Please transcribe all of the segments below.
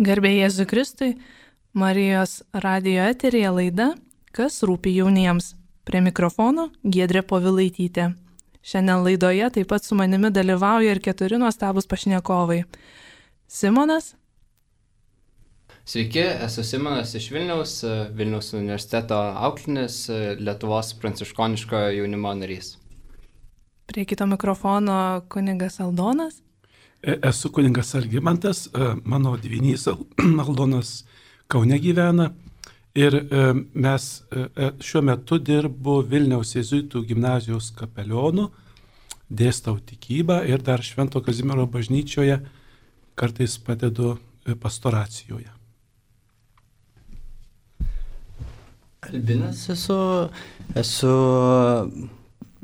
Garbė Jėzui Kristui, Marijos radijo eteryje laida Kas rūpi jauniems. Prie mikrofono Giedrė Povilaitytė. Šiandien laidoje taip pat su manimi dalyvauja ir 4 nuostabūs pašnekovai. Simonas. Sveiki, esu Simonas iš Vilniaus universiteto auklėtinis, Lietuvos pranciškoniškojo jaunimo narys. Prie kito mikrofono kunigas Aldonas. Esu kunigas Algimantas, mano dvynys Aldonas Kaune gyvena ir mes šiuo metu dirbu Vilniaus jėzuitų gimnazijos kapelionu, dėstau tikybą ir dar Švento Kazimiero bažnyčioje kartais padedu pastoracijoje. Albinas esu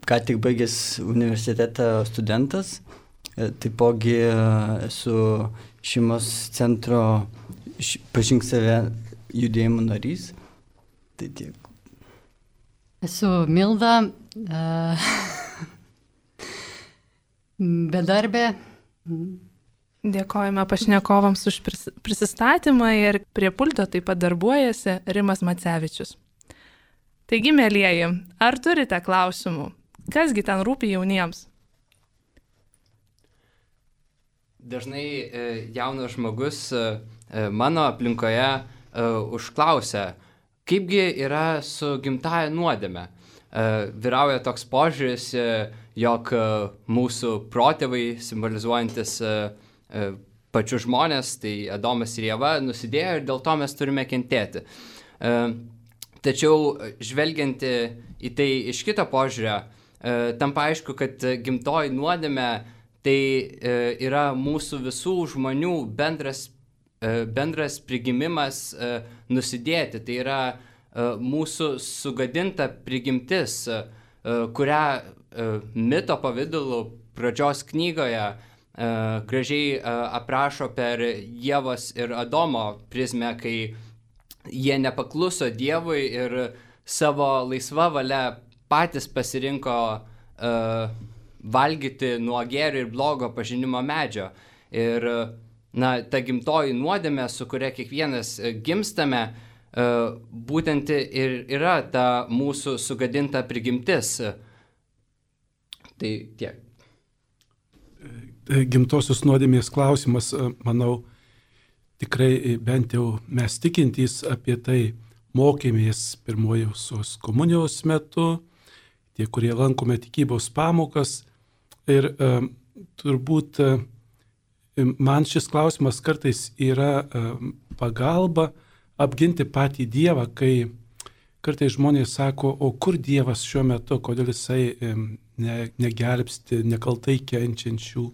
ką tik baigęs universitetą studentas, taipogi esu šeimos centro Pažink save judėjimo narys. Tai tiek. Esu Milda, bedarbė. Dėkojame pašnekovams už prisistatymą ir prie pulto taip pat darbuojasi Rimas Macevičius. Taigi, mielieji, ar turite klausimų? Kasgi ten rūpi jauniems? Dažnai jaunas žmogus mano aplinkoje užklausia, kaipgi yra su gimtąja nuodėme. Vyrauja toks požiūris, jog mūsų protėvai, simbolizuojantis pačius žmonės, tai Adomas ir Ieva, nusidėjo ir dėl to mes turime kentėti. Tačiau žvelgiant į tai iš kito požiūrio, tampa aišku, kad gimtoji nuodėmė tai yra mūsų visų žmonių bendras prigimimas nusidėti. Tai yra mūsų sugadinta prigimtis, kurią mito pavidalu pradžios knygoje gražiai aprašo per Ievos ir Adomo prizmę, kai jie nepakluso Dievui ir savo laisva valia patys pasirinko valgyti nuo gėrio ir blogo pažinimo medžio. Ir ta gimtoji nuodėmė, su kuria kiekvienas gimstame, būtent ir yra ta mūsų sugadinta prigimtis. Tai tiek. Gimtosios nuodėmės klausimas, manau, tikrai bent jau mes tikintys apie tai mokėmės pirmojosios komunijos metu, tie, kurie lankome tikybos pamokas. Ir turbūt man šis klausimas kartais yra pagalba apginti patį Dievą, kai kartais žmonės sako, o kur Dievas šiuo metu, kodėl jisai negelbsti nekaltai kenčiančių,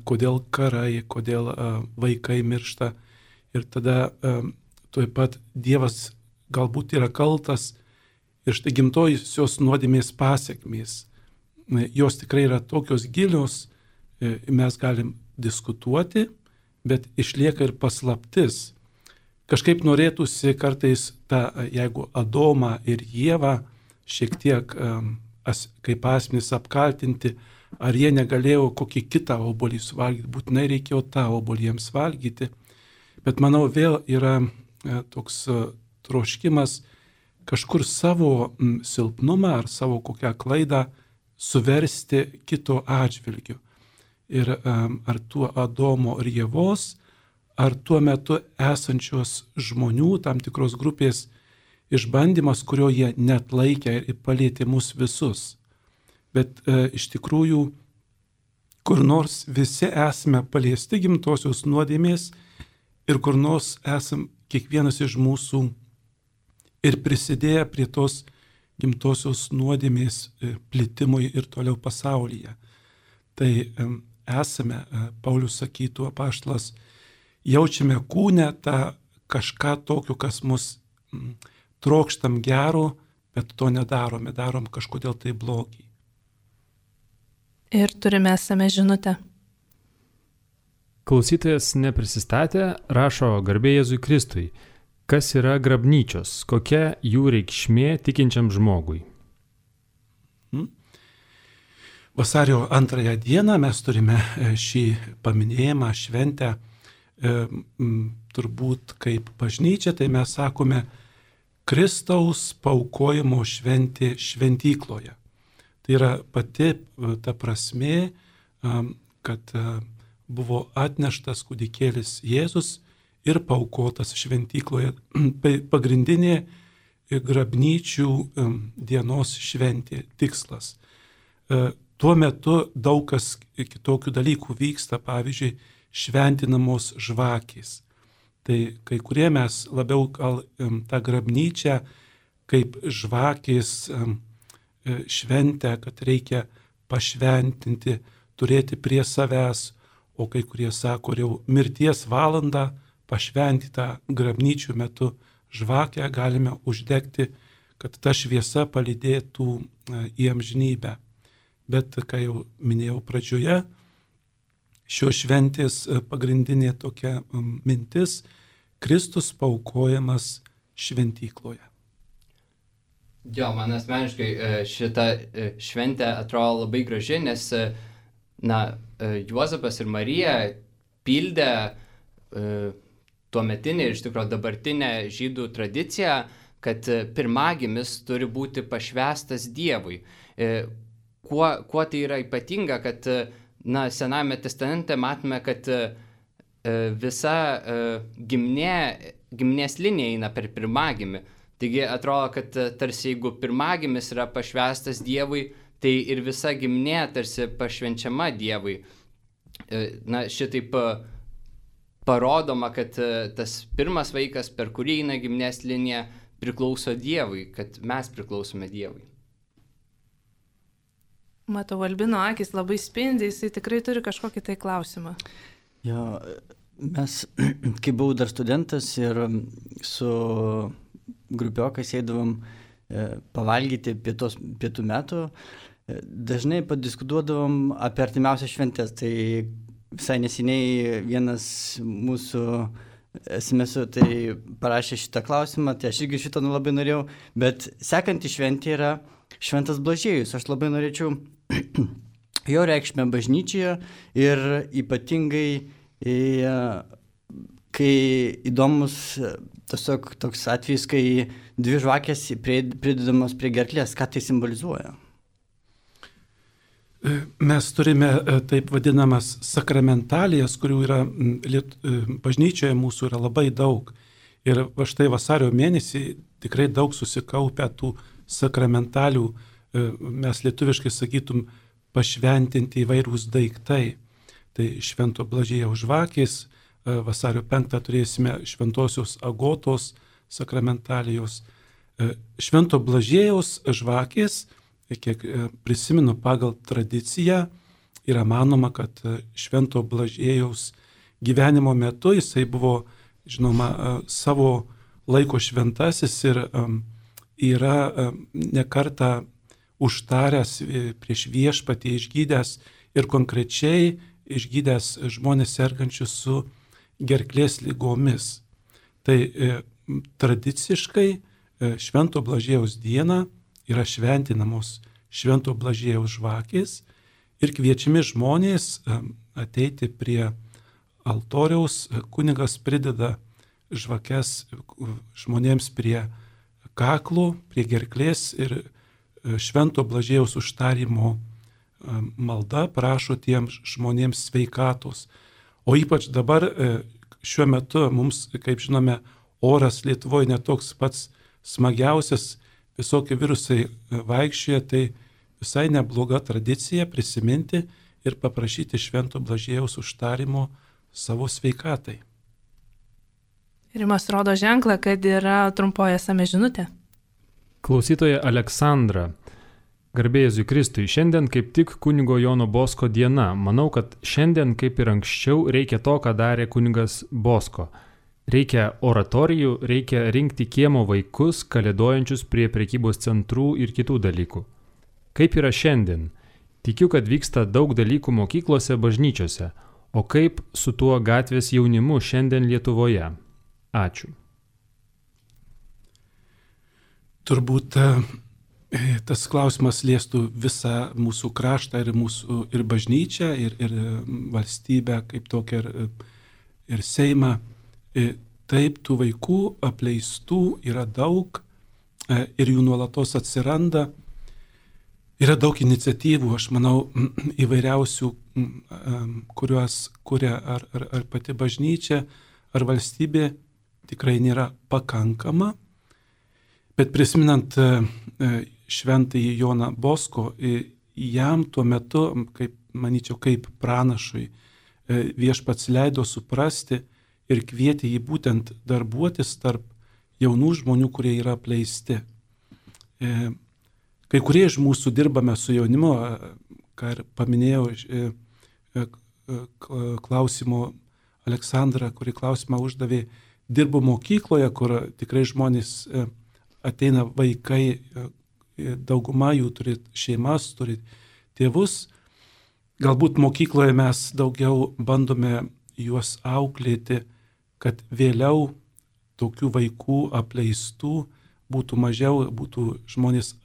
kodėl karai, kodėl vaikai miršta. Ir tada tuoj pat Dievas galbūt yra kaltas ir štai gimtojosios nuodėmės pasekmės. Jos tikrai yra tokios gilios, mes galim diskutuoti, bet išlieka ir paslaptis. Kažkaip norėtųsi kartais jeigu Adomą ir Ievą šiek tiek kaip asmenys apkaltinti, ar jie negalėjo kokį kitą obuolį suvalgyti, būtinai reikėjo tą obuolį jiems valgyti. Bet manau vėl yra toks troškimas kažkur savo silpnumą ar savo kokią klaidą suversti kito atžvilgiu. Ir ar tuo Adomo ir Ievos, ar tuo metu esančios žmonių, tam tikros grupės išbandymas, kurio jie net laikė ir palėtė mus visus. Bet iš tikrųjų, kur nors visi esame paliesti gimtosios nuodėmės ir kur nors esam kiekvienas iš mūsų ir prisidėję prie tos gimtosios nuodėmės plitimui ir toliau pasaulyje. Tai esame, Paulius sakytų apaštalas, jaučiame kūne tą kažką tokio, kas mus trokštam gero, bet to nedarome, darom kažkodėl tai blogį. Ir turime esame žinutę. Klausytojas neprisistatė, rašo garbė Jėzui Kristui. Kas yra grabnyčios? Kokia jų reikšmė tikinčiam žmogui? Vasario 2 dieną mes turime šį paminėjimą, šventę. turbūt kaip bažnyčia, tai mes sakome Kristaus paaukojimo šventė šventykloje. Tai yra pati ta prasmė, kad buvo atneštas kūdikėlis Jėzus ir paaukotas šventykloje. Pagrindinė grabnyčių dienos šventė tikslas. Tuo metu daug kas kitokių dalykų vyksta, pavyzdžiui, šventinamos žvakės. Tai kai kurie mes labiau gal tą grabnyčią kaip žvakės šventę, kad reikia pašventinti, turėti prie savęs, o kai kurie sako, jau mirties valandą pašventytą grabnyčių metu žvakę galime uždegti, kad ta šviesa palydėtų į amžinybę. Bet, kai jau minėjau pradžioje, šios šventės pagrindinė tokia mintis - Kristus paaukojamas šventykloje. Jo, man asmeniškai šita šventė atrodo labai graži, nes Juozapas ir Marija pildė tuometinį ir iš tikrųjų dabartinę žydų tradiciją, kad pirmagimis turi būti pašvęstas Dievui. Kuo tai yra ypatinga, kad Senajame testamente matome, kad visa giminės linija eina per pirmagimį. Taigi atrodo, kad tarsi jeigu pirmagimis yra pašvęstas Dievui, tai ir visa giminė tarsi pašvenčiama Dievui. Šitaip parodoma, kad tas pirmas vaikas, per kurį eina giminės linija, priklauso Dievui, kad mes priklausome Dievui. Matau, Albino akis labai spindi, jisai tikrai turi kažkokį tai klausimą. Jo, mes, kai buvau dar studentas ir su grupiokai sėdavom pavalgyti pietų metų, dažnai padiskutuodavom apie artimiausias šventės. Tai visai neseniai vienas mūsų SMS tai parašė šitą klausimą, tai aš irgi šitą labai norėjau, bet sekanti šventė yra Šventas Blažiejus. Aš labai norėčiau jo reikšmę bažnyčioje ir ypatingai, kai įdomus tiesiog toks atvejis, kai dvi žvakės pridedamos prie gerklės, ką tai simbolizuoja? Mes turime taip vadinamas sakramentalijas, kurių yra bažnyčioje mūsų yra labai daug. Ir va štai vasario mėnesį tikrai daug susikaupę tų sakramentalių, mes lietuviškai sakytum, pašventinti įvairūs daiktai. Tai Švento Blažiejaus žvakės, vasario 5 turėsime Šventosios Agotos sakramentalijos. Švento Blažiejaus žvakės, kiek prisimenu pagal tradiciją, yra manoma, kad Švento Blažiejaus gyvenimo metu jisai buvo, žinoma, savo laiko šventasis ir yra nekartą užtaręs prieš viešpatį, išgydęs ir konkrečiai išgydęs žmonės sergančius su gerklės ligomis. Tai tradiciškai Švento Blažiejaus dieną yra šventinamos Švento Blažiejaus žvakės ir kviečiami žmonės ateiti prie altoriaus, kunigas prideda žvakes žmonėms prie kaklų, prie gerklės ir Švento Blažiejaus užtarimo malda prašo tiems žmonėms sveikatos. O ypač dabar šiuo metu mums, kaip žinome, oras Lietuvoje netoks pats smagiausias, visokie virusai vaikščioja, tai visai nebloga tradicija prisiminti ir paprašyti Švento Blažiejaus užtarimo savo sveikatai. Rimas rodo ženklą, kad yra trumpoji SMS žinutė. Klausytoja Aleksandra. Garbė Jėzui Kristui, šiandien kaip tik kunigo Jono Bosko diena. Manau, kad šiandien kaip ir anksčiau reikia to, ką darė kunigas Bosko. Reikia oratorijų, reikia rinkti kiemo vaikus, kalėdojančius prie prekybos centrų ir kitų dalykų. Kaip yra šiandien? Tikiu, kad vyksta daug dalykų mokyklose, bažnyčiose. O kaip su tuo gatvės jaunimu šiandien Lietuvoje? Ačiū. Turbūt tas klausimas liestų visą mūsų kraštą ir bažnyčią, ir valstybę kaip tokią, ir Seimą. taip, tų vaikų apleistų yra daug ir jų nuolatos atsiranda. Yra daug iniciatyvų, aš manau, įvairiausių, kuriuos kuria ar pati bažnyčia, ar valstybė, tikrai nėra pakankama. Bet prisiminant šventąjį Joną Bosko, jam tuo metu, manyčiau, kaip pranašui, viešpats leido suprasti ir kvietė jį būtent darbuotis tarp jaunų žmonių, kurie yra apleisti. Kai kurie iš mūsų dirbame su jaunimu, ką ir paminėjau klausimo Aleksandra, kuri klausimą uždavė, dirbu mokykloje, kur tikrai žmonės ateina vaikai, dauguma jų turi šeimas, turi tėvus. Galbūt mokykloje mes daugiau bandome juos auklėti, kad vėliau tokių vaikų apleistų būtų mažiau, būtų žmonės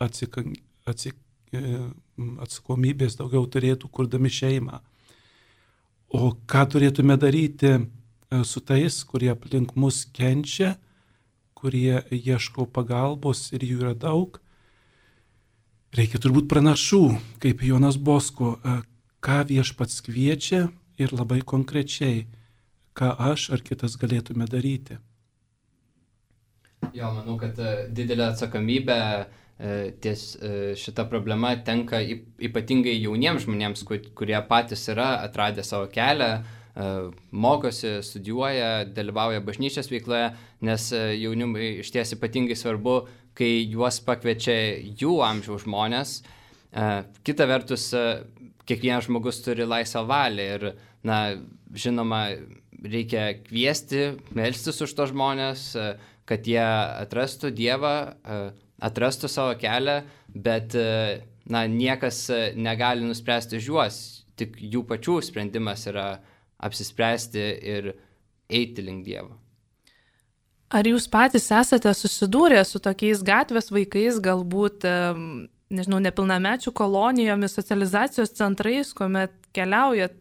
atsakomybės daugiau turėtų, kurdami šeimą. O ką turėtume daryti su tais, kurie aplink mus kenčia, kurie ieško pagalbos ir jų yra daug? Reikia turbūt pranašų, kaip Jonas Bosko, ką viešpats kviečia ir labai konkrečiai, ką aš ar kitas galėtume daryti. Jo, manau, kad didelė atsakomybė ties šita problema tenka ypatingai jauniems žmonėms, kurie patys yra atradę savo kelią, mokosi, studijuoja, dalyvauja bažnyčios veikloje, nes jaunimui iš ties ypatingai svarbu, kai juos pakviečia jų amžiaus žmonės. Kita vertus, kiekvienas žmogus turi laisvą valią ir, žinoma, reikia kviesti, melstis už tos žmonės, kad jie atrastų Dievą, atrastų savo kelią, bet niekas negali nuspręsti už juos, tik jų pačių sprendimas yra apsispręsti ir eiti link Dievo. Ar jūs patys esate susidūrę su tokiais gatvės vaikais, galbūt, nepilnamečių kolonijomis, socializacijos centrais, kuomet keliaujat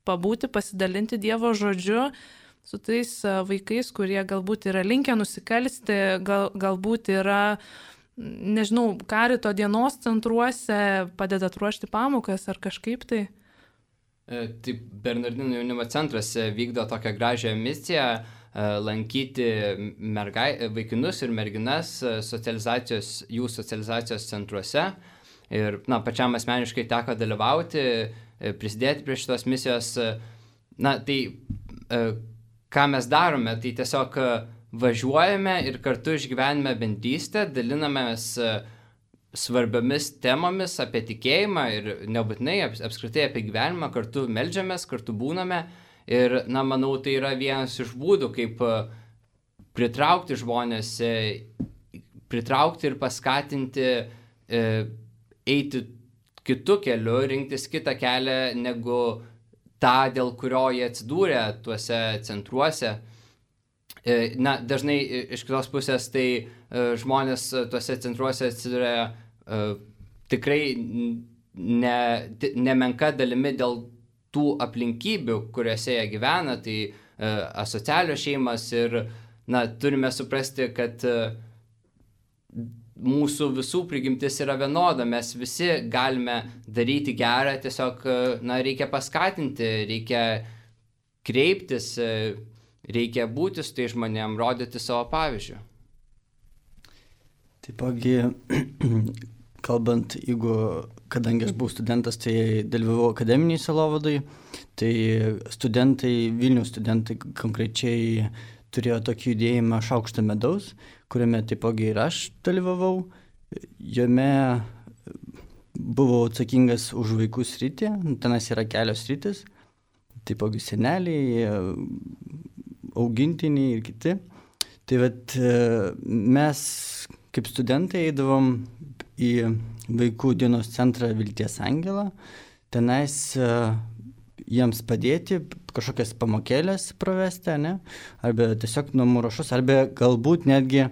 pabūti, pasidalinti Dievo žodžiu, su tais vaikais, kurie galbūt yra linkę nusikalsti, galbūt yra, karito dienos centruose, padedat ruošti pamokas ar kažkaip tai? Taip, Bernardinų jaunimo centras vykdo tokią gražią misiją lankyti vaikinus ir merginas jų socializacijos centruose. Ir pačiam asmeniškai teko dalyvauti, prisidėti prie šitos misijos. Ką mes darome, tai tiesiog važiuojame ir kartu išgyvename bendrystę, dalinamės svarbiomis temomis apie tikėjimą ir nebūtinai apskritai apie gyvenimą, kartu meldžiamės, kartu būname ir, manau, tai yra vienas iš būdų, kaip pritraukti žmonės, pritraukti ir paskatinti eiti kitu keliu, rinktis kitą kelią negu tą, dėl kurio jie atsidūrė tuose centruose. Dažnai iš kitos pusės tai žmonės tuose centruose atsidūrė tikrai nemenka dalimi dėl tų aplinkybių, kuriuose jie gyvena, tai asocialios šeimas ir turime suprasti, kad mūsų visų prigimtis yra vienoda, mes visi galime daryti gerą, tiesiog reikia paskatinti, reikia kreiptis, reikia būti su tai žmonėm, rodyti savo pavyzdžių. Taipogi, kalbant, kadangi aš buvau studentas, tai dalyvavau akademiniai sielovadai, tai Vilniaus studentai konkrečiai turėjo tokį judėjimą Šaukštą medaus, kuriame taipogi ir aš dalyvavau. Jame buvau atsakingas už vaikų sritį, tenas yra kelios sritis, taipogi seneliai, augintiniai ir kiti. Tai mes kaip studentai eidavom į vaikų dienos centrą Vilties Angelą, tenais jiems padėti, kažkokias pamokėlės pravesti, arba tiesiog namų ruošos, arba galbūt netgi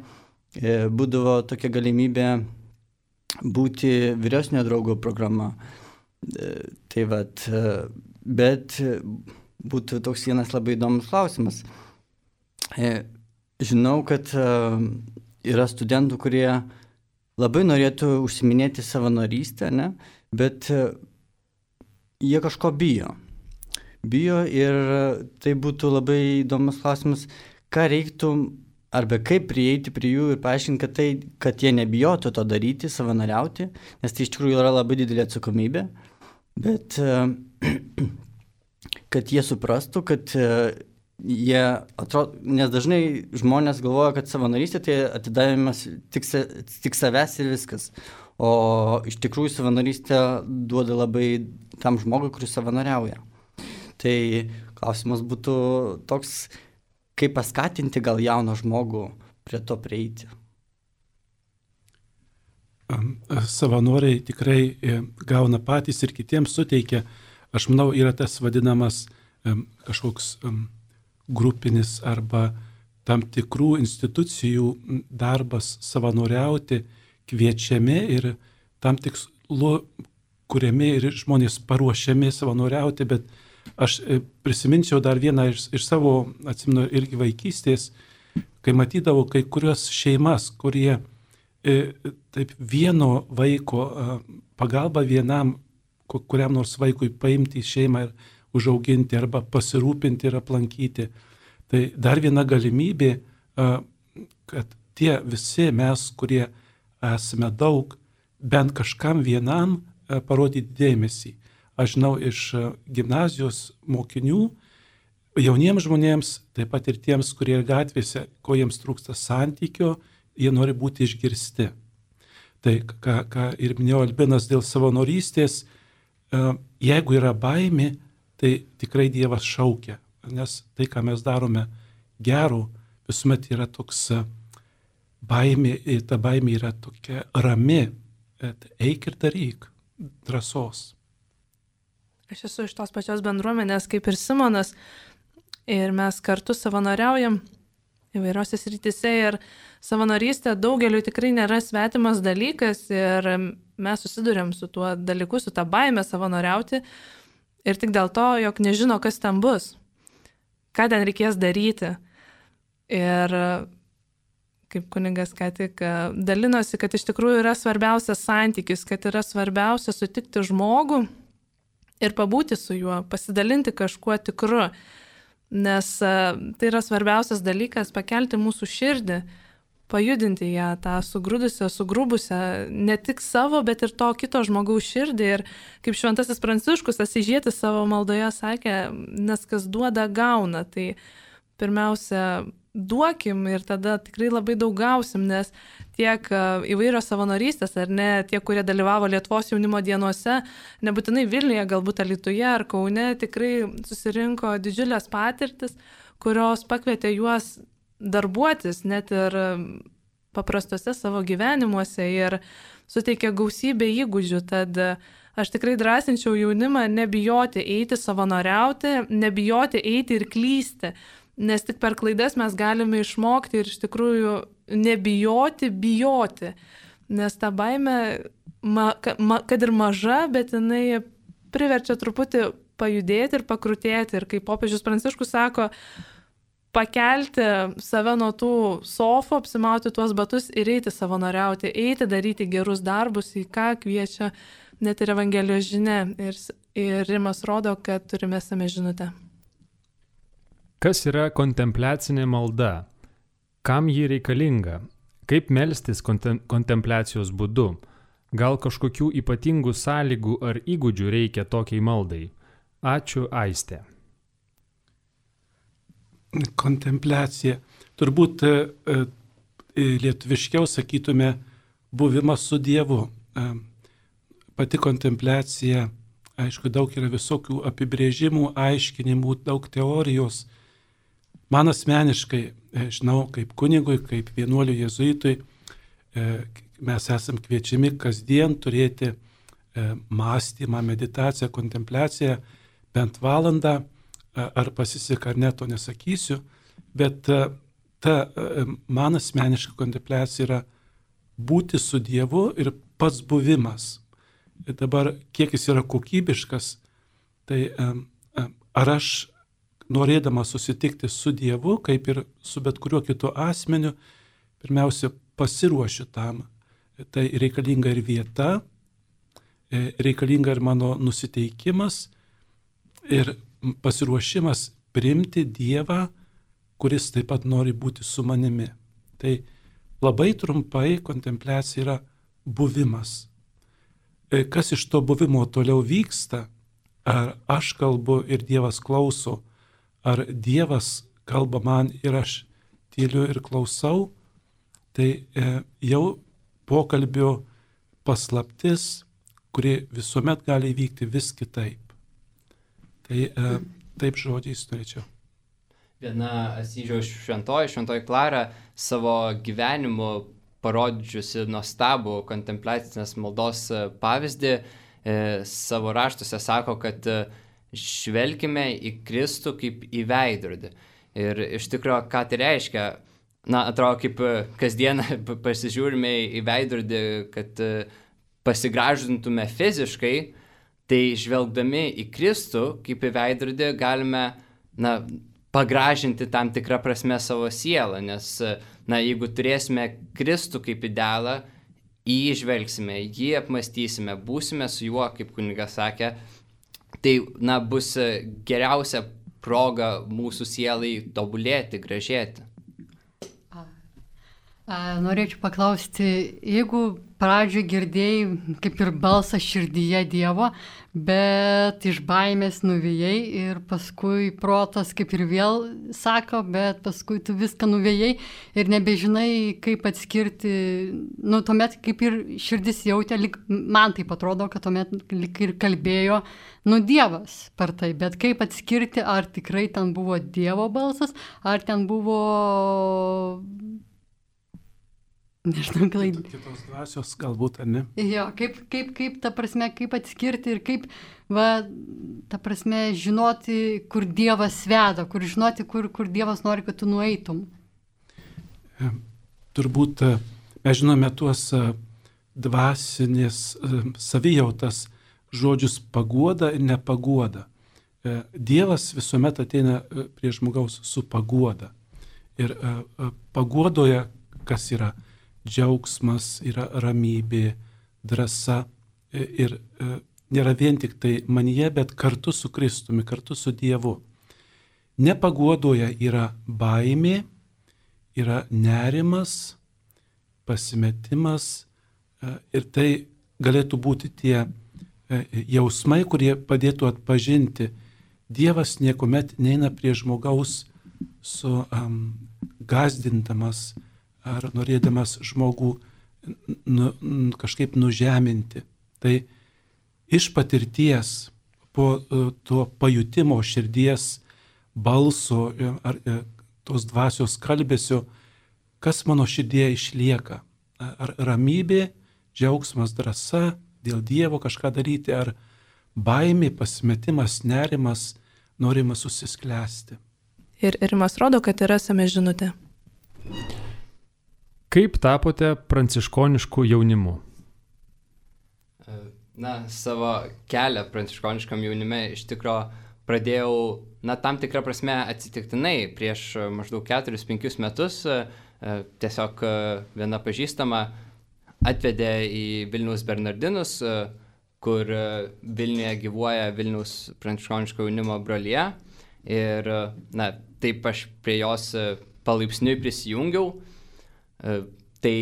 būdavo tokia galimybė būti vyresnio draugo programa. Bet būtų toks vienas labai įdomus klausimas. žinau, kad yra studentų, kurie labai norėtų užsiminėti savanorystę, ne? Bet jie kažko bijo. Bijo ir tai būtų labai įdomus klausimas, ką reiktų arba kaip prieiti prie jų ir paaiškinti, kad jie nebijotų to daryti, savanoriauti, nes tai iš tikrųjų yra labai didelė atsakomybė, bet kad jie suprastų, kad jie atrodo, nes dažnai žmonės galvoja, kad savanorystė tai atidavimas tik savęs ir viskas. O iš tikrųjų savanorystė duoda labai tam žmogui, kuris savanoriauja. Tai klausimas būtų toks, kaip paskatinti gal jauną žmogų prie to prieiti. Savanoriai tikrai gauna patys ir kitiems suteikia. Aš manau, yra tas vadinamas kažkoks grupinis arba tam tikrų institucijų darbas savanoriauti, kviečiami ir tam tikslu kuriami ir žmonės paruošiami savanoriauti, bet aš prisiminčiau dar vieną iš savo, atsimenu, irgi vaikystės, kai matydavau kai kurios šeimas, kurie taip vieno vaiko pagalba vienam, kuriam nors vaikui paimti į šeimą ir užauginti arba pasirūpinti ir aplankyti. Tai dar viena galimybė, kad tie visi mes, kurie esame daug, bent kažkam vienam parodyti dėmesį. Aš žinau iš gimnazijos mokinių, jauniems žmonėms, taip pat ir tiems, kurie gatvėse, ko jiems trūksta santykio, jie nori būti išgirsti. Tai, ką ir minėjo Albinas dėl savanorystės, jeigu yra baimė, tai tikrai Dievas šaukia, nes tai, ką mes darome gero, visuomet yra toks baimė, ta baimė yra tokia rami, eik ir daryk, drąsos. Aš esu iš tos pačios bendruomenės kaip ir Simonas ir mes kartu savanoriaujam įvairiose srityse ir savanorystė daugeliu tikrai nėra svetimas dalykas ir mes susidurėm su tuo dalyku, su tą baimę savanoriauti ir tik dėl to, jog nežino, kas ten bus, ką ten reikės daryti. Ir kaip kunigas ką tik dalinosi, kad iš tikrųjų yra svarbiausias santykis, kad yra svarbiausia sutikti žmogų ir pabūti su juo, pasidalinti kažkuo tikru, nes tai yra svarbiausias dalykas pakelti mūsų širdį, pajudinti ją, tą sugrūdusią, sugrubusią, ne tik savo, bet ir to kito žmogaus širdį. Ir kaip šventasis Pranciškus Asyžietis savo maldoje sakė, nes kas duoda, gauna. Tai pirmiausia, duokim ir tada tikrai labai daug gausim, nes tiek įvairios savanorystės, ar ne, tie, kurie dalyvavo Lietuvos jaunimo dienose, nebūtinai Vilniuje, galbūt Alytuje ar Kaune, tikrai susirinko didžiulės patirtis, kurios pakvietė juos darbuotis net ir paprastose savo gyvenimuose ir suteikė gausybę įgūdžių. Tad aš tikrai drąsinčiau jaunimą nebijoti eiti savanoriauti, nebijoti eiti ir klysti. Nes tik per klaidas mes galime išmokti ir iš tikrųjų nebijoti, bijoti. Nes ta baimė, kad ir maža, bet jinai priverčia truputį pajudėti ir pakrutėti. Ir kaip popiežius Pranciškus sako, pakelti save nuo tų sofų, apsimauti tuos batus ir eiti savanoriauti, eiti daryti gerus darbus, į ką kviečia net ir Evangelijos žinia. Ir Rimas rodo, kad turime esame žinutę. Kas yra kontempliacinė malda? Kam ji reikalinga? Kaip melstis kontempliacijos būdu? Gal kažkokių ypatingų sąlygų ar įgūdžių reikia tokiai maldai? Ačiū, Aistė. Kontempliacija. Turbūt lietuviškiau sakytume buvimas su Dievu. Pati kontempliacija, aišku, daug yra visokių apibrėžimų, aiškinimų, daug teorijos. Man asmeniškai, žinau, kaip kunigui, kaip vienuoliui jėzuitui, mes esam kviečiami kasdien turėti mąstymą, meditaciją, kontempliaciją bent valandą, ar pasiseka ar ne, to nesakysiu, bet ta man asmeniška kontempliacija yra būti su Dievu ir pats buvimas. Ir dabar, kiek jis yra kokybiškas, tai ar aš norėdamas susitikti su Dievu, kaip ir su bet kuriuo kitu asmeniu, pirmiausia pasiruošiu tam. Tai reikalinga ir vieta, reikalinga ir mano nusiteikimas ir pasiruošimas priimti Dievą, kuris taip pat nori būti su manimi. Tai labai trumpai kontempliacija yra buvimas. Kas iš to buvimo toliau vyksta, ar aš kalbu ir Dievas klauso, ar Dievas kalba man ir aš tyliu ir klausau, tai jau pokalbio paslaptis, kuri visuomet gali vykti vis kitaip. Tai taip žodžiais norėčiau. Viena Asyžiaus šventoji Klara savo gyvenimu parodžiusi nuostabų kontempliacinės maldos pavyzdį, savo raštuose sako, kad žvelkime į Kristų kaip į veidrodį. Ir iš tikrųjų, ką tai reiškia? Atrodo, kaip kasdieną pasižiūrime į veidrodį, kad pasigražintume fiziškai, tai žvelgdami į Kristų kaip į veidrodį galime pagražinti tam tikrą prasme savo sielą, nes jeigu turėsime Kristų kaip idealą, jį žvelgsime, jį apmastysime, būsime su juo, kaip kunigas sakė, tai bus geriausia proga mūsų sielai tobulėti, gražėti. Norėčiau paklausti, jeigu pradžioje girdėjai kaip ir balsą širdyje Dievo, bet iš baimės nuvėjai ir paskui protas kaip ir vėl sako, bet paskui tu viską nuvėjai ir nebežinai, kaip atskirti, tuomet kaip ir širdis jautė, man taip atrodo, kad tuomet lyg ir kalbėjo, Dievas per tai, bet kaip atskirti, ar tikrai ten buvo Dievo balsas, ar ten buvo... Nežinau, kitos dvasios galbūt, ar ne? Jo, kaip ta prasme, kaip atskirti ir kaip, ta prasme, žinoti, kur Dievas veda, kur žinoti, kur Dievas nori, kad tu nueitum. Turbūt mes žinome tuos dvasinės savijautas žodžius paguoda ir nepaguoda. Dievas visuomet ateina prie žmogaus su paguoda. Ir paguodoje, kas yra džiaugsmas, yra ramybė, drąsa ir nėra vien tik tai manyje, bet kartu su Kristumi, kartu su Dievu. Nepaguodoje yra baimė, yra nerimas, pasimetimas ir tai galėtų būti tie jausmai, kurie padėtų atpažinti. Dievas niekuomet neina prie žmogaus su gąsdindamas ar norėdamas žmogų kažkaip nužeminti. Tai iš patirties, po to pajutimo širdies balso ar tos dvasios kalbėsio, kas mano širdėje išlieka. Ar ramybė, džiaugsmas, drąsa, dėl Dievo kažką daryti, ar baimė, pasimetimas, nerimas, norimas susisklęsti. Ir Rimas rodo, kad yra esame žinutė. Kaip tapote pranciškonišku jaunimu? Savo kelią pranciškoniškam jaunime iš tikro pradėjau, tam tikrą prasme atsitiktinai prieš maždaug 4-5 metus. Tiesiog viena pažįstama atvedė į Vilniaus Bernardinus, kur Vilniuje gyvuoja Vilniaus pranciškoniško jaunimo brolija. Ir taip aš prie jos palaipsniui prisijungiau. Tai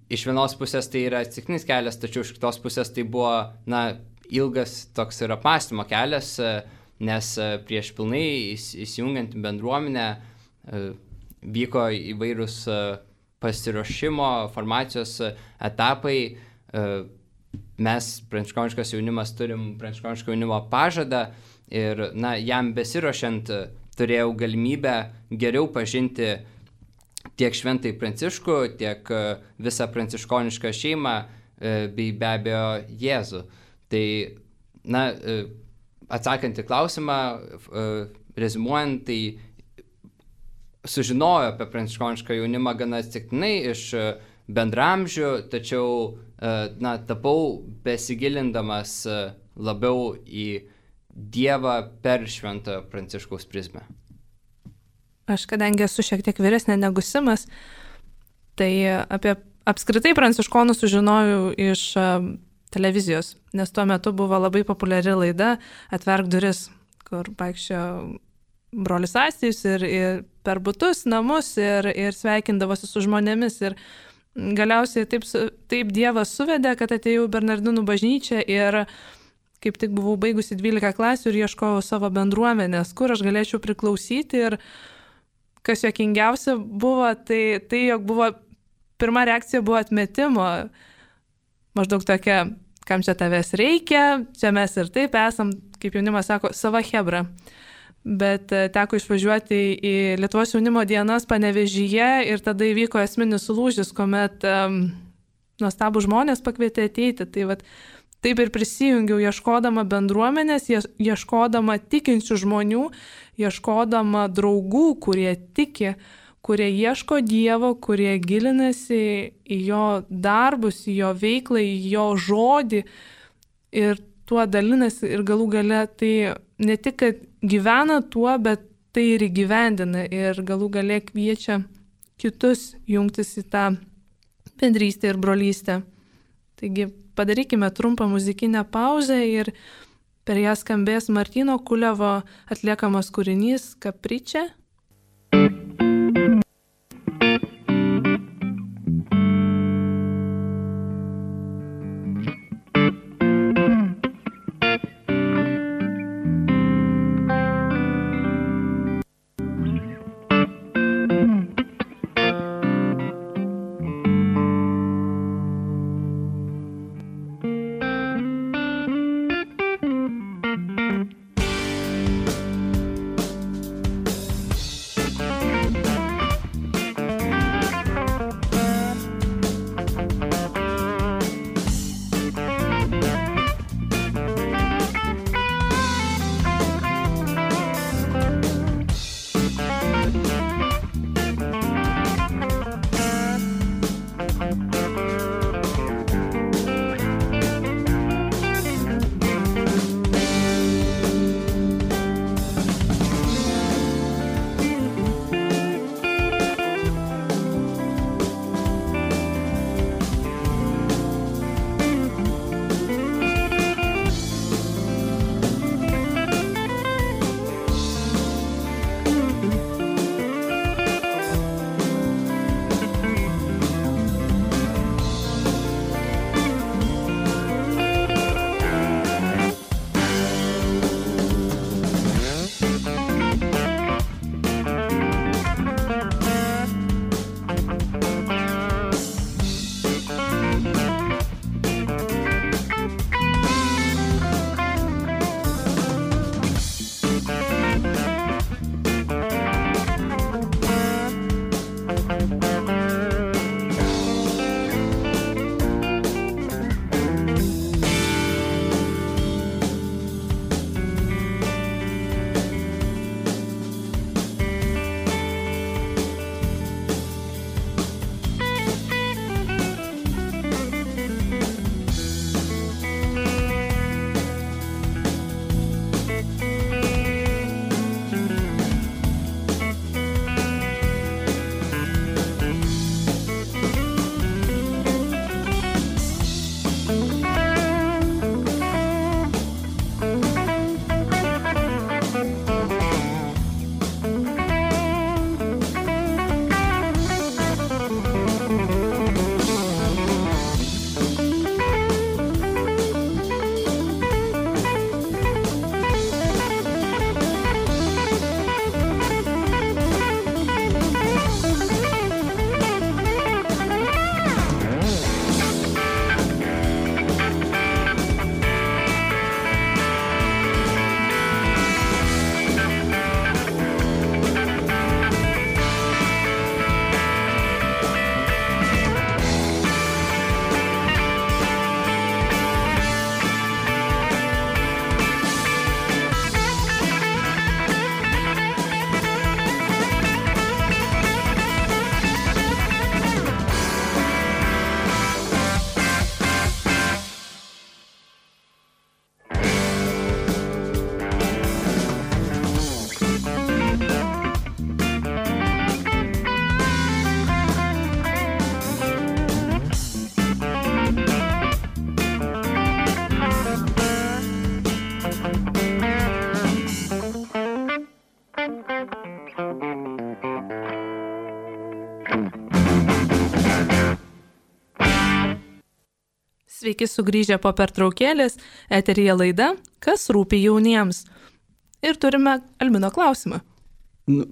iš vienos pusės tai yra atsitiktinis kelias, tačiau iš kitos pusės tai buvo ilgas toks ir apmąstymo kelias, nes prieš pilnai įsijungiant į bendruomenę vyko įvairūs pasiruošimo, formacijos etapai. Mes, pranciškoniškas jaunimas, turim pranciškoniško jaunimo pažadą ir jam besiruošiant turėjau galimybę geriau pažinti tiek šventai Pranciškų, tiek visą pranciškonišką šeimą, bei be abejo Jėzų. Tai, atsakant į klausimą, reziumuojant, tai sužinojo apie pranciškonišką jaunimą gana atsitiktinai iš bendramžių, tačiau, tapau besigilindamas labiau į Dievą per šventojo Pranciškaus prizmę. Aš kadangi esu šiek tiek vyresnė negu Simas, tai apie apskritai pranciškonų sužinojau iš televizijos, nes tuo metu buvo labai populiari laida Atverk duris, kur vaikščio brolis Astijus ir per butus, namus ir sveikindavosi su žmonėmis. Ir galiausiai taip Dievas suvedė, kad atėjau į Bernardinų bažnyčią ir kaip tik buvau baigusi 12 klasių ir ieškojau savo bendruomenės, kur aš galėčiau priklausyti. Ir kas juokingiausia buvo, tai jog buvo, pirma reakcija buvo atmetimo. Maždaug tokia, kam čia tavęs reikia, čia mes ir taip esam, kaip jaunimas sako, sava chebra. Bet teko išvažiuoti į Lietuvos jaunimo dienas Panevėžyje ir tada įvyko esminis lūžis, kuomet nuostabų žmonės pakvietė ateiti. Tai vat, taip ir prisijungiau, ieškodama bendruomenės, ieškodama tikinčių žmonių, ieškodama draugų, kurie tiki, kurie ieško Dievo, kurie gilinasi į jo darbus, į jo veiklą, į jo žodį ir tuo dalinasi ir galų gale tai ne tik, kad gyvena tuo, bet tai ir įgyvendina ir galų gale kviečia kitus jungtis į tą bendrystę ir brolystę. Taigi padarykime trumpą muzikinę pauzę ir per ją skambės Martyno Kulevo atliekamas kūrinys Kapričia. Sveiki sugrįžę po pertraukėlės, eteryje laida Kas rūpi jauniems. Ir turime Albino klausimą.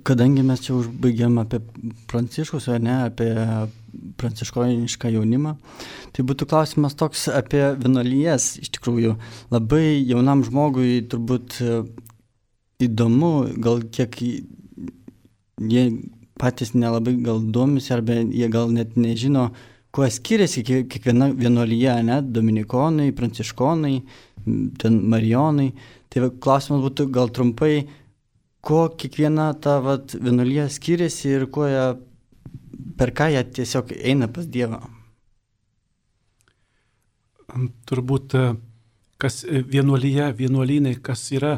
Kadangi mes čia užbaigėm apie pranciškus, o ne apie pranciškonišką jaunimą, tai būtų klausimas toks apie vienuolijas. Iš tikrųjų, labai jaunam žmogui turbūt įdomu, gal kiek jie patys nelabai gal domisi, arba jie gal net nežino, kuo skiriasi kiekviena vienuolija, ne? Dominikonai, pranciškonai, ten marijonai. Tai klausimas būtų gal trumpai, kuo kiekviena ta vienuolija skiriasi ir per ką jie tiesiog eina pas Dievą? Turbūt, kas vienuolynai, kas yra,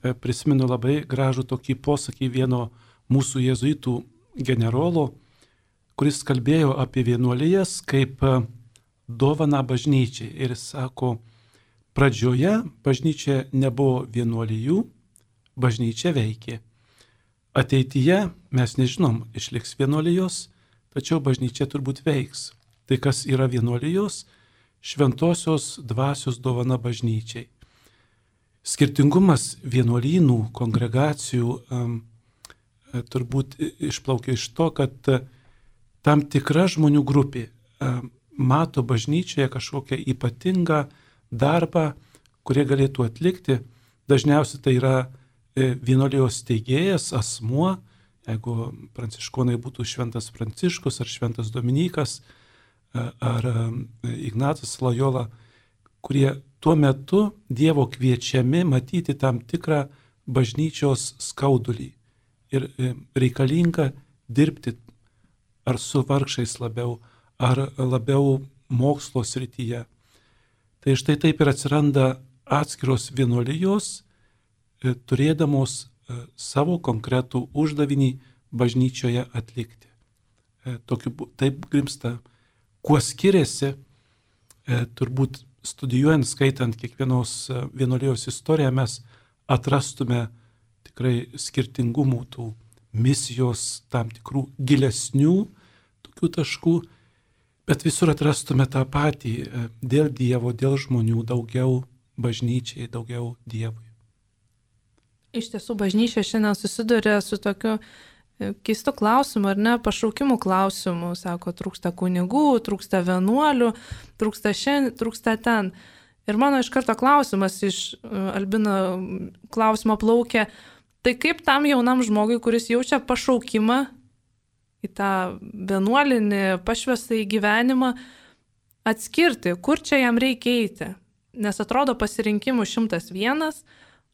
prisimenu labai gražų tokį posakį vieno mūsų jėzuitų generolo, kuris kalbėjo apie vienuolijas kaip dovaną bažnyčiai. Ir jis sako, pradžioje bažnyčia nebuvo vienuolijų, bažnyčia veikė. Ateityje mes nežinom, išliks vienuolijos, tačiau bažnyčia turbūt veiks. Tai kas yra vienuolijos? Šventosios dvasios dovana bažnyčiai. Skirtingumas vienuolynų, kongregacijų turbūt išplaukia iš to, kad tam tikra žmonių grupė mato bažnyčioje kažkokią ypatingą darbą, kurie galėtų atlikti. Dažniausiai tai yra vienuolijos steigėjas, asmuo, jeigu pranciškonai būtų šventas Pranciškus ar šventas Dominikas ar Ignacas Lojola, kurie tuo metu Dievo kviečiami matyti tam tikrą bažnyčios skaudulį ir reikalinga dirbti ar su vargšais labiau, ar labiau mokslo srityje. Tai štai taip ir atsiranda atskiros vienuolijos, turėdamos savo konkretų uždavinį bažnyčioje atlikti. Taip grimsta. Kuo skiriasi, turbūt studijuojant, skaitant kiekvienos vienuolijos istoriją, mes atrastume tikrai skirtingumų tų misijos, tam tikrų gilesnių tokių taškų, bet visur atrastume tą patį dėl Dievo, dėl žmonių, daugiau bažnyčiai, daugiau Dievui. Iš tiesų, bažnyčia šiandien susiduria su tokiu keistu klausimu, ar ne, pašaukimų klausimu. Sako, trūksta kunigų, trūksta vienuolių, trūksta šiandien, trūksta ten. Ir mano iš karto klausimas iš Albino klausimo plaukia, tai kaip tam jaunam žmogui, kuris jaučia pašaukimą į tą vienuolinį pašvestą į gyvenimą, atskirti, kur čia jam reikia eiti. Nes atrodo pasirinkimų 101,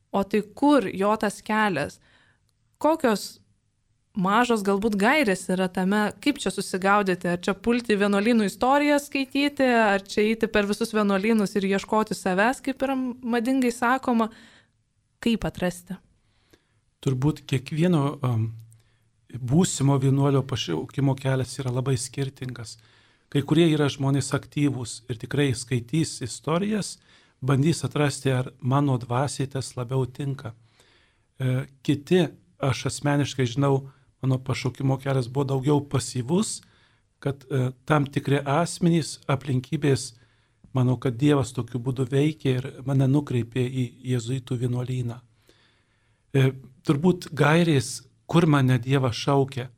o tai kur jo tas kelias? Kokios mažos galbūt gairės yra tame, kaip čia susigaudyti, ar čia pulti vienuolynų istoriją skaityti, ar čia eiti per visus vienuolynus ir ieškoti savęs, kaip yra madingai sakoma, kaip atrasti? Turbūt kiekvieno būsimo vienuolio pašaukimo kelias yra labai skirtingas. Kai kurie yra žmonės aktyvūs ir tikrai skaitys istorijas, bandys atrasti, ar mano dvasiai tas labiau tinka. Kiti, aš asmeniškai žinau, mano pašaukimo kelias buvo daugiau pasyvus, kad tam tikri asmenys, aplinkybės, manau, kad Dievas tokiu būdu veikia ir mane nukreipė į jėzuitų vienuolyną. Turbūt gairės, kur mane Dievas šaukia,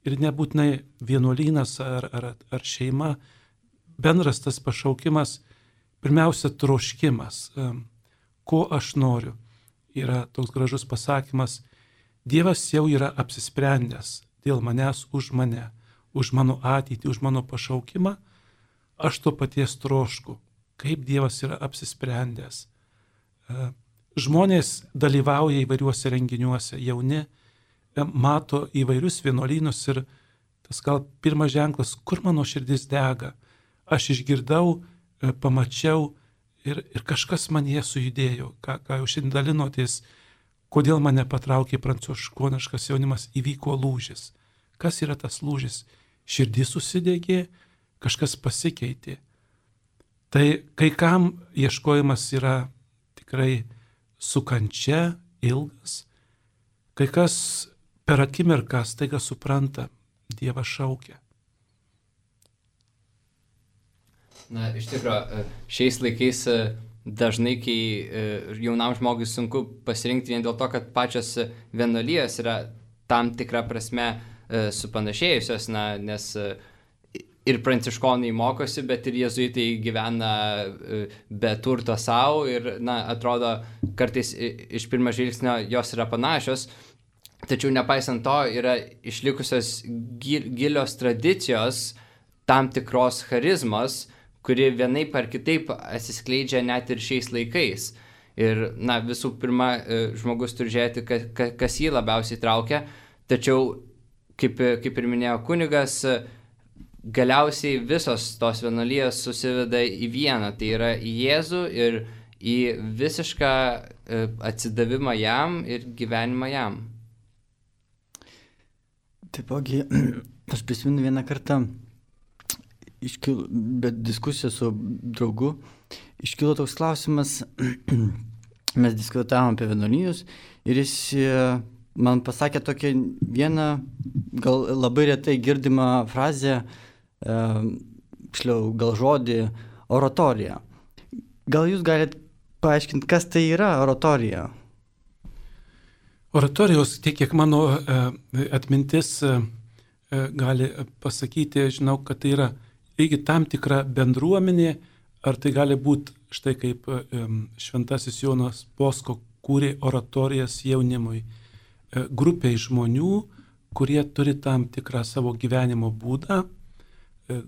ir nebūtinai vienuolynas ar šeima, bendras tas pašaukimas, pirmiausia, troškimas, ko aš noriu. Yra toks gražus pasakymas, Dievas jau yra apsisprendęs dėl manęs už mane, už mano ateitį, už mano pašaukimą, aš to paties trošku, kaip Dievas yra apsisprendęs. Žmonės dalyvauja įvairiuose renginiuose, jauni, mato įvairius vienuolynus ir tas gal pirmas ženklas, kur mano širdis dega. Aš išgirdau, pamačiau ir kažkas manyje sujudėjo, ką jau šiandien dalinotės, kodėl mane patraukė pranciškoniškas jaunimas, įvyko lūžis. Kas yra tas lūžis? Širdis susidegė, kažkas pasikeitė. Tai kai kam ieškojimas yra tikrai su kančia, ilgas, kai kas per akimirką staiga supranta, Dievas šaukia. Na, iš tikrųjų, šiais laikais dažnai, kai jaunam žmogui sunku pasirinkti vien dėl to, kad pačios vienuolijos yra tam tikrą prasme supanašėjusios, nes ir pranciškonai mokosi, bet ir jėzuitai gyvena be turto savo ir, atrodo, kartais iš pirmo žvilgsnio jos yra panašios, tačiau nepaisant to yra išlikusios gilios tradicijos tam tikros charizmos, kuri vienaip ar kitaip atsiskleidžia net ir šiais laikais. Ir, visų pirma, žmogus turi žiūrėti, kas jį labiausiai traukia, tačiau, kaip ir minėjo kunigas, galiausiai visos tos vienuolijos susiveda į vieną, tai yra į Jėzų ir į visišką atsidavimą jam ir gyvenimą jam. Taipogi, aš prisimenu vieną kartą, bet diskusija su draugu, iškilo toks klausimas, mes diskutavom apie vienuolijus ir jis man pasakė tokią vieną, gal labai retai girdimą frazę, gal žodį oratorija. Gal jūs galite paaiškinti, kas tai yra oratorija? Oratorijos, tiek kiek mano atmintis gali pasakyti, žinau, kad tai yra irgi tam tikra bendruomenė, ar tai gali būti štai kaip šventasis Jonas Bosko kūrė oratorijas jaunimui. Grupiai žmonių, kurie turi tam tikrą savo gyvenimo būdą,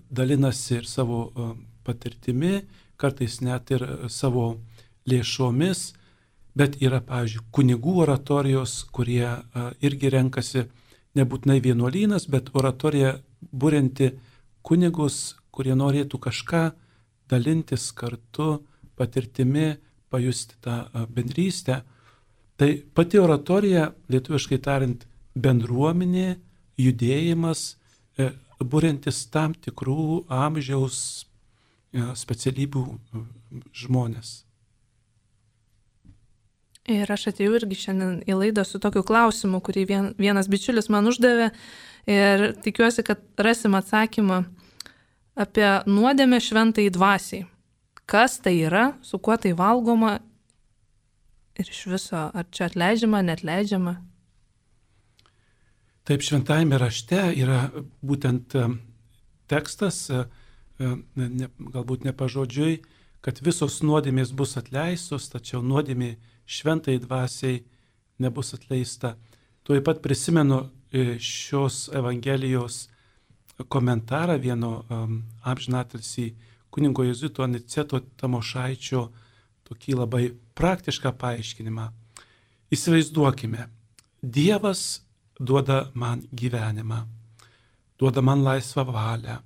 dalinasi ir savo patirtimi, kartais net ir savo lėšomis, bet yra, pavyzdžiui, kunigų oratorijos, kurie irgi renkasi nebūtinai vienuolynas, bet oratorija būrinti kunigus, kurie norėtų kažką dalintis kartu patirtimi, pajusti tą bendrystę. Tai pati oratorija, lietuviškai tariant, bendruomenė, judėjimas, būrintis tam tikrų amžiaus specialybių žmonės. Ir aš atėjau irgi šiandien į laidą su tokiu klausimu, kurį vienas bičiulis man uždavė ir tikiuosi, kad rasim atsakymą apie nuodėmę šventai dvasiai. Kas tai yra, su kuo tai valgoma ir iš viso, ar čia atleidžiama, neatleidžiama? Taip, šventajame rašte yra būtent tekstas, galbūt ne pažodžiui, kad visos nuodėmės bus atleistos, tačiau nuodėmė šventai dvasiai nebus atleista. Tuoj pat prisimenu šios Evangelijos komentarą vieno amžinatilsį kunigo jėzuito Aniceto Tamošaičio tokį labai praktišką paaiškinimą. Įsivaizduokime, Dievas duoda man gyvenimą, duoda man laisvą valią,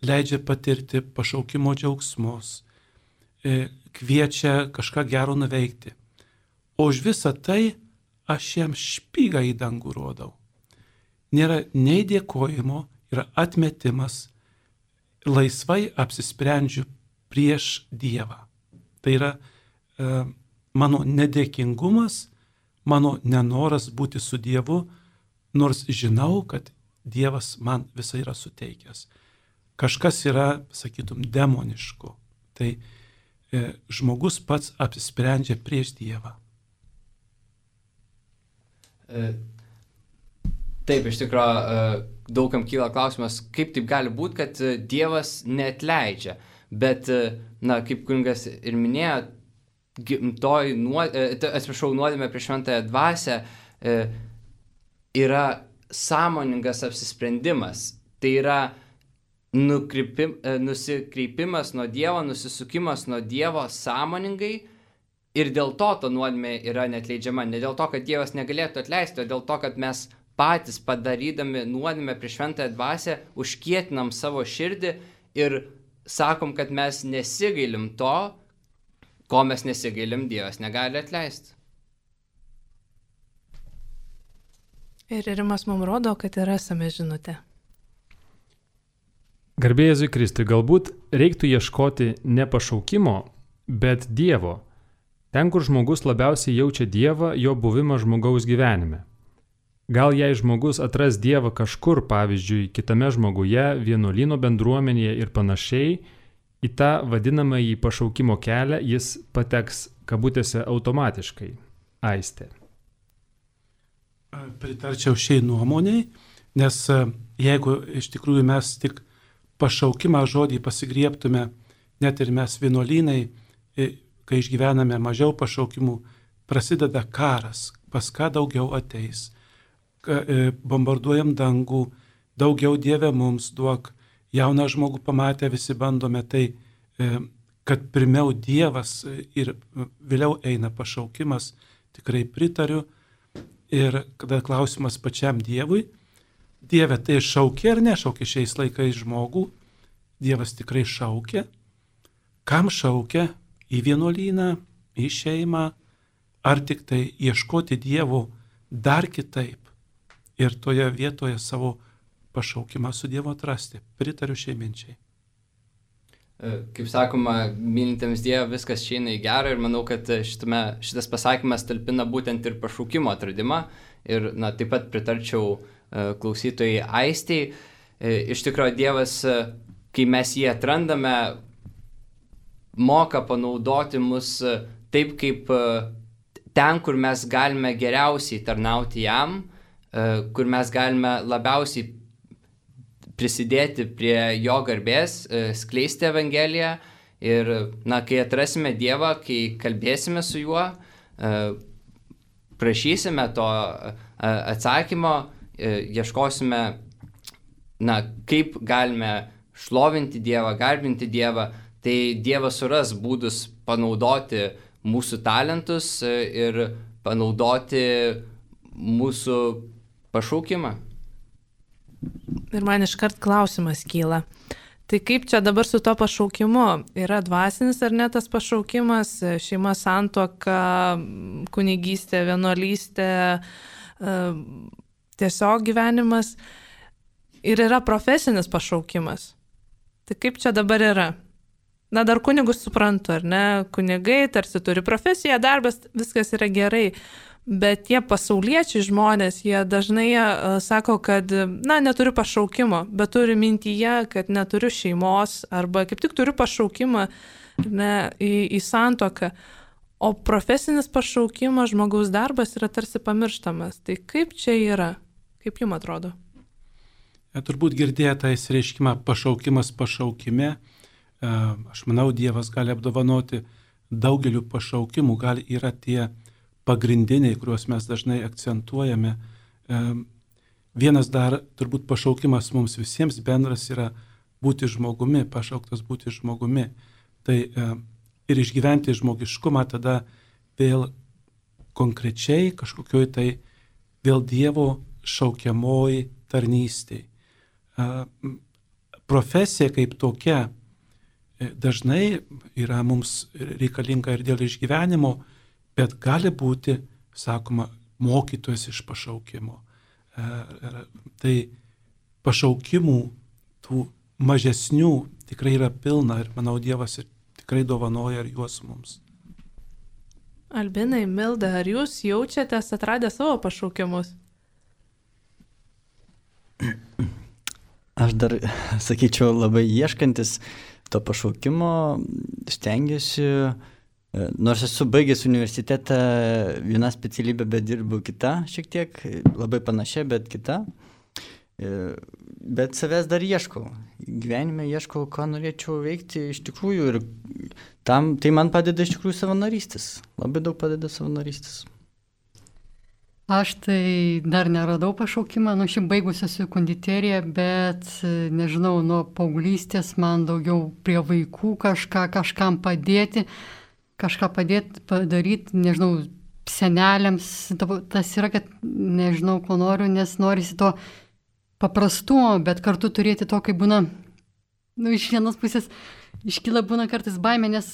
leidžia patirti pašaukimo džiaugsmus, kviečia kažką gero nuveikti. O už visą tai aš jam špygą į dangų rodau. Nėra nei dėkojimo, yra atmetimas, laisvai apsisprendžiu prieš Dievą. Tai yra mano nedėkingumas, mano nenoras būti su Dievu, nors žinau, kad Dievas man visai yra suteikęs. Kažkas yra, sakytum, demoniško. Tai žmogus pats apsisprendžia prieš Dievą. Taip, iš tikrųjų, daugam kyla klausimas, kaip taip gali būti, kad Dievas neatleidžia. Bet, kaip kunigas ir minėjo, nuodėmė prieš šventąją dvasią yra sąmoningas apsisprendimas. Tai yra nusikreipimas nuo Dievo, nusisukimas nuo Dievo sąmoningai ir dėl to ta nuodėmė yra neatleidžiama. Ne dėl to, kad Dievas negalėtų atleisti, o dėl to, kad mes patys padarydami nuodėmę prieš šventąją dvasią užkietinam savo širdį ir sakom, kad mes nesigailim to, ko mes nesigailim, Dievas negali atleisti. Ir Rimas mums rodo, kad yra esame žinutė. Garbė Jėzui Kristui, galbūt reiktų ieškoti ne pašaukimo, bet Dievo. Ten, kur žmogus labiausiai jaučia Dievą, jo buvimą žmogaus gyvenime. Gal jei žmogus atras Dievą kažkur, pavyzdžiui, kitame žmoguje, vienuolyno bendruomenėje ir panašiai, į tą vadinamąjį pašaukimo kelią jis pateks kabutėse automatiškai. Aistė. Pritarčiau šiai nuomoniai, nes jeigu iš tikrųjų mes tik pašaukimą žodį pasigriebtume, net ir mes vienuolynai, kai išgyvename mažiau pašaukimų, prasideda karas, pas ką daugiau ateis, bombarduojam dangų, daugiau Dieve mums duok, jauną žmogų pamatę visi bandome, tai kad pirmiau Dievas ir vėliau eina pašaukimas, tikrai pritariu. Ir kada klausimas pačiam Dievui, Dieve tai šaukia ar nešaukia šiais laikais žmogų, Dievas tikrai šaukia. Kam šaukia? Į vienuolyną, į šeimą, ar tik tai ieškoti Dievo dar kitaip ir toje vietoje savo pašaukimą su Dievu atrasti. Pritariu šiai minčiai. Kaip sakoma, mylintiems Dievą viskas išeina į gerą ir manau, kad šitas pasakymas talpina būtent ir pašaukimo atradimą. Ir taip pat pritarčiau klausytojai Aistei. Iš tikrųjų, Dievas, kai mes jį atrandame, moka panaudoti mus taip, kaip ten, kur mes galime geriausiai tarnauti jam, kur mes galime labiausiai prisidėti prie jo garbės, skleisti Evangeliją ir, kai atrasime Dievą, kai kalbėsime su juo, prašysime to atsakymo, ieškosime, kaip galime šlovinti Dievą, garbinti Dievą, tai Dievas suras būdus panaudoti mūsų talentus ir panaudoti mūsų pašaukimą. Ir man iškart klausimas kyla. Tai kaip čia dabar su to pašaukimu? Yra dvasinis ar ne tas pašaukimas, šeima, santuoka, kunigystė, vienuolystė, tiesiog gyvenimas. Ir yra profesinis pašaukimas. Tai kaip čia dabar yra? Dar kunigus suprantu, ar ne? Kunigai tarsi turi profesiją, darbas, viskas yra gerai. Bet tie pasauliečiai žmonės, jie dažnai sako, kad, neturiu pašaukimo, bet turi mintyje, kad neturiu šeimos, arba kaip tik turiu pašaukimą į santuoką. O profesinis pašaukimas, žmogaus darbas yra tarsi pamirštamas. Tai kaip čia yra? Kaip jums atrodo? Turbūt girdėjote įsireiškimą pašaukimas pašaukime. Aš manau, Dievas gali apdovanoti daugeliu pašaukimų, gal yra tie pagrindiniai, kuriuos mes dažnai akcentuojame. Vienas dar turbūt pašaukimas mums visiems bendras yra būti žmogumi, pašauktas būti žmogumi. Tai ir išgyventi žmogiškumą tada vėl konkrečiai kažkokioj tai vėl Dievo šaukiamoji tarnystėj. Profesija kaip tokia dažnai yra mums reikalinga ir dėl išgyvenimo, bet gali būti, sakoma, mokytojas iš pašaukimo. Tai pašaukimų tų mažesnių tikrai yra pilna ir manau Dievas tikrai dovanoja ir juos mums. Albinai, Milda, ar jūs jaučiatės atradę savo pašaukimus? Aš dar, sakyčiau, labai ieškantis to pašaukimo, stengiuosi. Nors esu baigęs universitetą vieną specialybę, bet dirbu kitą šiek tiek, labai panašia, bet kita. Bet savęs dar ieškau. Gyvenime ieškau, ką norėčiau veikti iš tikrųjų ir tai man padeda iš tikrųjų savanorystės. Labai daug padeda savanorystės. Aš tai dar neradau pašaukimą, šiaip baigusi esu konditeriją, bet nežinau, nuo paauglystės man daugiau prie vaikų kažkam padėti. Kažką padaryti, nežinau, seneliams, tas yra, kad nežinau, ko noriu, nes norisi to paprastumo, bet kartu turėti to, kai būna, iš vienos pusės iškyla būna kartais baimė, nes,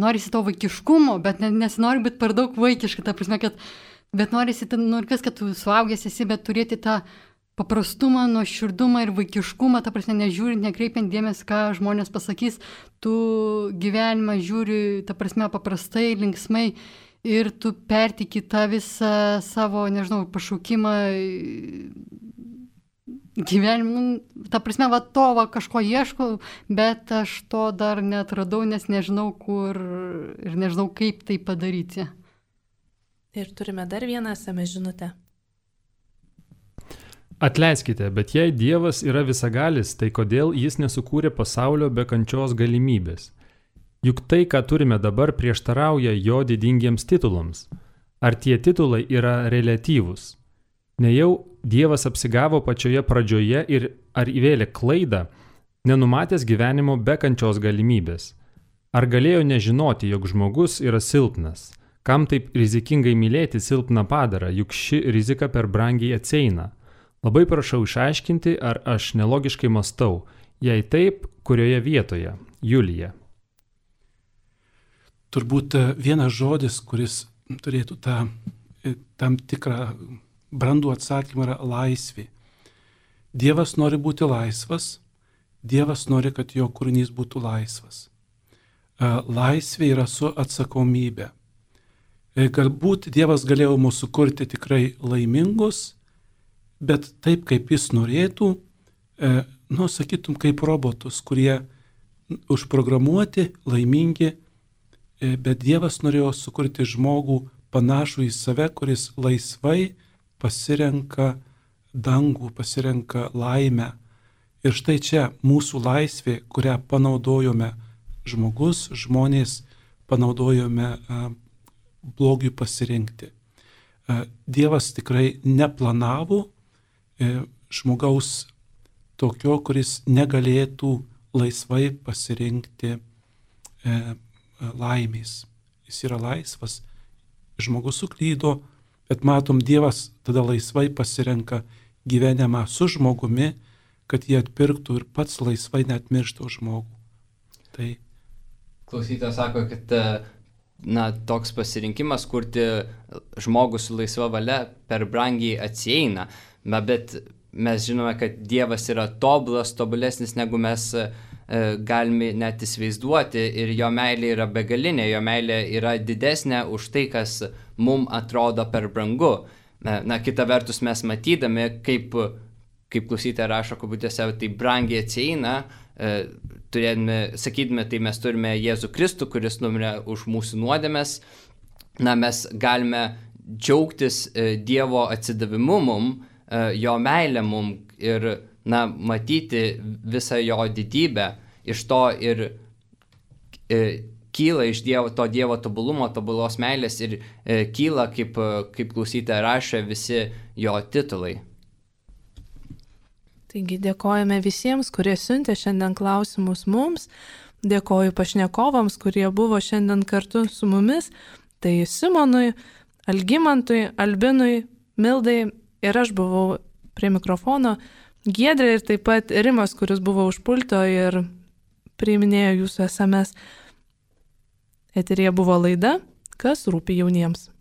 norisi to vaikiškumo, bet nesinori būti per daug vaikiška, ta prasme, kad, bet norisi, kad tu suaugęs esi, bet turėti tą paprastumą, nuoširdumą ir vaikiškumą, ta prasme, nežiūrint, nekreipiant dėmesį, ką žmonės pasakys, tu gyvenimą žiūri, ta prasme, paprastai, linksmai ir tu pertiki tą visą savo, nežinau, pašaukimą gyvenime, ta prasme, kažko ieškau, bet aš to dar netradau, nes nežinau kur ir nežinau kaip tai padaryti. Ir turime dar vieną SMS žinutę. Atleiskite, bet jei Dievas yra visagalis, tai kodėl jis nesukūrė pasaulio be kančios galimybės? Juk tai, ką turime dabar, prieštarauja jo didingiems titulams. Ar tie titulai yra reliatyvūs? Nejau Dievas apsigavo pačioje pradžioje ir ar įvėlė klaidą, nenumatęs gyvenimo be kančios galimybės? Ar galėjo nežinoti, jog žmogus yra silpnas? Kam taip rizikingai mylėti silpną padarą, juk ši rizika per brangiai atsieina? Labai prašau išaiškinti, ar aš nelogiškai mąstau. Jei taip, kurioje vietoje? Julija. Turbūt vienas žodis, kuris turėtų tam tikrą brandų atsakymą, yra laisvė. Dievas nori būti laisvas, Dievas nori, kad jo kūrinys būtų laisvas. Laisvė yra su atsakomybė. Galbūt Dievas galėjo mūsų sukurti tikrai laimingus, bet taip, kaip jis norėtų, sakytum, kaip robotus, kurie užprogramuoti, laimingi, bet Dievas norėjo sukurti žmogų panašų į save, kuris laisvai pasirenka dangų, pasirenka laimę. Ir štai čia mūsų laisvė, kurią panaudojome žmonės panaudojome blogiui pasirinkti. Dievas tikrai neplanavo žmogaus tokio, kuris negalėtų laisvai pasirinkti laimės. Jis yra laisvas, žmogus suklydo, bet matom, Dievas tada laisvai pasirenka gyvenimą su žmogumi, kad jie atpirktų ir pats laisvai net mirštų žmogų. Tai klausytojas sako, kad toks pasirinkimas kurti žmogų su laisva valia per brangiai atsieina, bet mes žinome, kad Dievas yra tobulas, tobulesnis negu mes galime net įsivaizduoti ir jo meilė yra begalinė, jo meilė yra didesnė už tai, kas mums atrodo per brangu. Kita vertus mes matydami, kaip klausytoja rašo kabutėse, tai brangiai atsieina, sakydami, tai mes turime Jėzų Kristų, kuris numirė už mūsų nuodėmes, mes galime džiaugtis Dievo atsidavimu mum, jo meilę mum ir matyti visą jo didybę. Iš to ir kyla iš to Dievo tobulumo, tobulos meilės ir kyla, kaip klausytoja rašė, visi jo titulai. Taigi dėkojame visiems, kurie siuntė šiandien klausimus mums. Dėkoju pašnekovams, kurie buvo šiandien kartu su mumis. Tai Simonui, Algimantui, Albinui, Mildai ir aš buvau prie mikrofono. Giedrė ir taip pat Rimas, kuris buvo už pulto ir priiminėjo jūsų SMS. Eteryje buvo laida, kas rūpi jauniems.